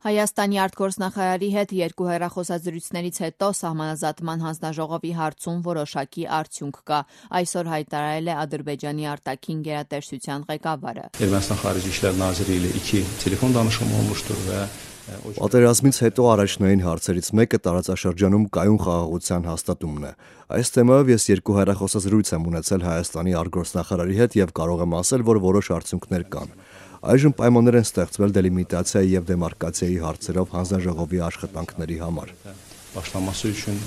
Հայաստանի արտգործնախարարի հետ երկու հեռախոսազրույցներից հետո սահմանազատման հանձնաժողովի հարցում որոշակի արդյունք կա, այսօր հայտարարել է Ադրբեջանի արտաքին գերատեսչության ղեկավարը։ Ermənistan Xarici İşlər Naziri ilə 2 telefon danışımı olmuşdur və Պատերազմից հետո առաջնային հարցերից մեկը տարածաշրջանում կայուն խաղաղության հաստատումն է։ Այս թեմայով ես երկու հեռախոսազրույց եմ ունեցել Հայաստանի արտգործնախարարի հետ եւ կարող եմ ասել, որ որոշ արդյունքներ կան։ Այժմ պայմաններ են ստեղծվել դելիմիտացիայի եւ դեմարկացիայի հարցերով հանձնաժողովի աշխատանքների համար։ Başlaması üçün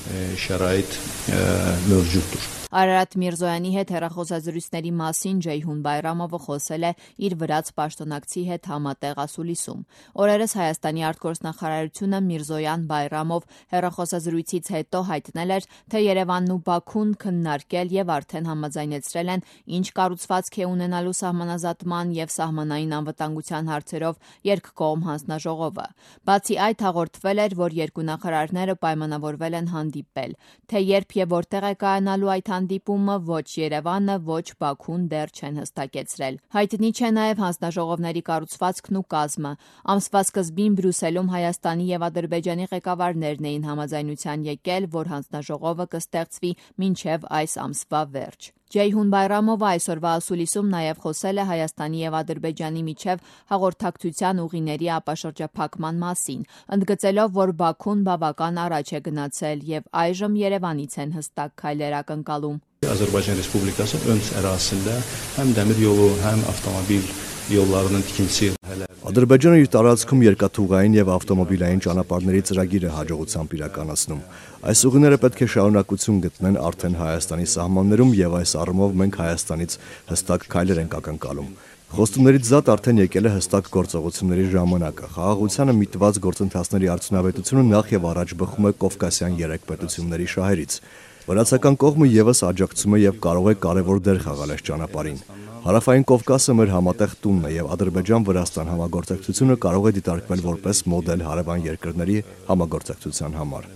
şərait mövcuddur. Արարատ Միրզոյանի հետ հեռախոսազրույցների մասին Ջեյհուն Բայրամովը խոսել է իր վրաց պաշտոնակցի հետ համատեղ ասուլիսում։ Օրերս Հայաստանի արտգործնախարարությունը Միրզոյան-Բայրամով հեռախոսազրույցից հետո հայտնել էր, թե Երևանն ու Բաքուն քննարկել եւ արդեն համաձայնեցրել են, ինչ կառուցվածք է ունենալու սահմանազատման եւ սահմանային անվտանգության հարցերով երկկողմ հանձնաժողովը։ Բացի այդ հաղորդվել էր, որ երկու նախարարները պայմանավորվել են հանդիպել, թե երբ եւ որտեղ է կայանալու այդ հանդիպումը ոչ Երևանը, ոչ Բաքուն դեռ չեն հստակեցրել։ Հայտնի չէ նաև հանձնաժողովների կառուցվածքն ու կազմը։ Ամսվա սկզբին Բրյուսելում Հայաստանի եւ Ադրբեջանի ղեկավարներն էին համաձայնության եկել, որ հանձնաժողովը կստեղծվի մինչև այս ամսվա վերջ։ Ջեյհուն Բայրամովը այսօրվա ասուլիսում նաև խոսել է Հայաստանի եւ Ադրբեջանի միջև հաղորդակցության ուղիների ապաշրջափակման մասին, ընդգծելով, որ Բաքուն բավական առաջ է գնացել եւ այժմ Երևանից են հստակ քայլեր ակնկալում։ Azərbaycan Respublikası ön ərazisində həm dəmir yolu, həm avtomobil yollarının tikintisi Ադրբեջանը իր տարածքում երկաթուղային եւ ավտոմոբիլային ճանապարհների ծրագիր է հաջողությամբ իրականացնում։ Այս ուղիները պետք է շարունակություն գտնեն արդեն Հայաստանի սահմաններում եւ այս առումով մենք Հայաստանից հստակ քայլեր ենք ակնկալում։ Խոստումներից զատ արդեն եկել է հստակ գործողությունների ժամանակը։ Խաղաղությանը միտված գործընթացների արդյունավետությունը նախ եւ առաջ բխում է Կովկասյան երեք պետությունների շահերից։ Վրացական կողմը եւս աջակցում է եւ կարող է կարևոր դեր խաղալ այս ճանապարհին։ Հարավային Կովկասը մեր համատեղ տունն է եւ Ադրբեջան-Վրաստան համագործակցությունը կարող է դիտարկվել որպես մոդել հարևան երկրների համագործակցության համար։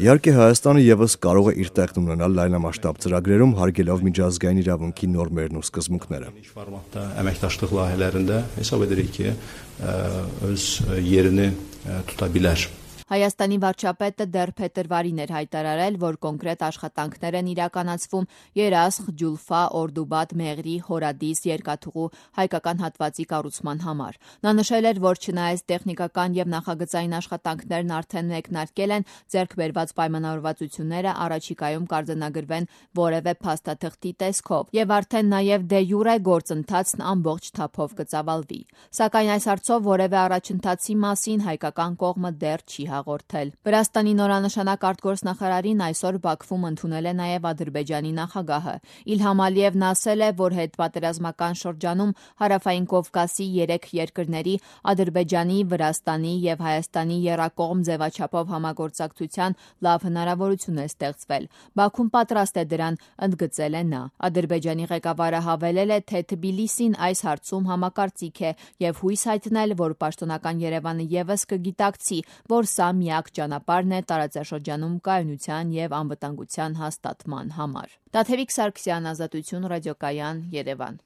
Իհարկե Հայաստանը եւս կարող է իր տեղն ունենալ լայնամասշտաբ ծրագրերում, հարգելով միջազգային իրավունքի նորմերն ու սկզբունքները։ Formatda əməkdaşlıq layihələrində hesab edirik ki, öz yerini tuta bilər. Հայաստանի վարչապետը դեռ փետրվարին էր հայտարարել, որ կոնկրետ աշխատանքներ են իրականացվում Երասխ, Ջուլֆա, Օրդուբադ, Մեղրի, Հորադիս երկաթուղու հայկական հատվածի կառուցման համար։ Նա նշել էր, որ չնայած տեխնիկական եւ նախագծային աշխատանքներն արդեն մեկնարկել են, ձեռք բերված պայմանավորվածությունները առաջիկայում կարձանագրվեն որևէ փաստաթղթի տեսքով եւ արդեն նաեւ դե յուրե գործընթացն ամբողջ թափով կծավալվի։ Սակայն այս հարցով որևէ առաջընթացի մասին հայկական կողմը դեռ չի հաղորդել։ Վրաստանի նորանշանակ արտգործնախարարին այսօր Բաքվում ընդունել է նաև Ադրբեջանի նախագահը։ Իլհամ Ալիևն ասել է, որ հետպատերազմական շրջանում Հարավային Կովկասի 3 երկրների Ադրբեջանի, Վրաստանի եւ Հայաստանի եռակողմ ձևաչափով համագործակցության լավ հնարավորություն է ստեղծվել։ Բաքուն պատրաստ է դրան, ընդգծել է նա։ Ադրբեջանի ղեկավարը հավելել է, թե Թբիլիսին այս հարցում համակարծիք է եւ հույս հայտնել, որ պաշտոնական Երևանը եւս կգիտակցի, որ սա միակ ճանապարհն է տարածաշրջանում կայունության եւ անվտանգության հաստատման համար։ Տաթևիկ Սարգսյան, Ազատություն ռադիոկայան, Երևան։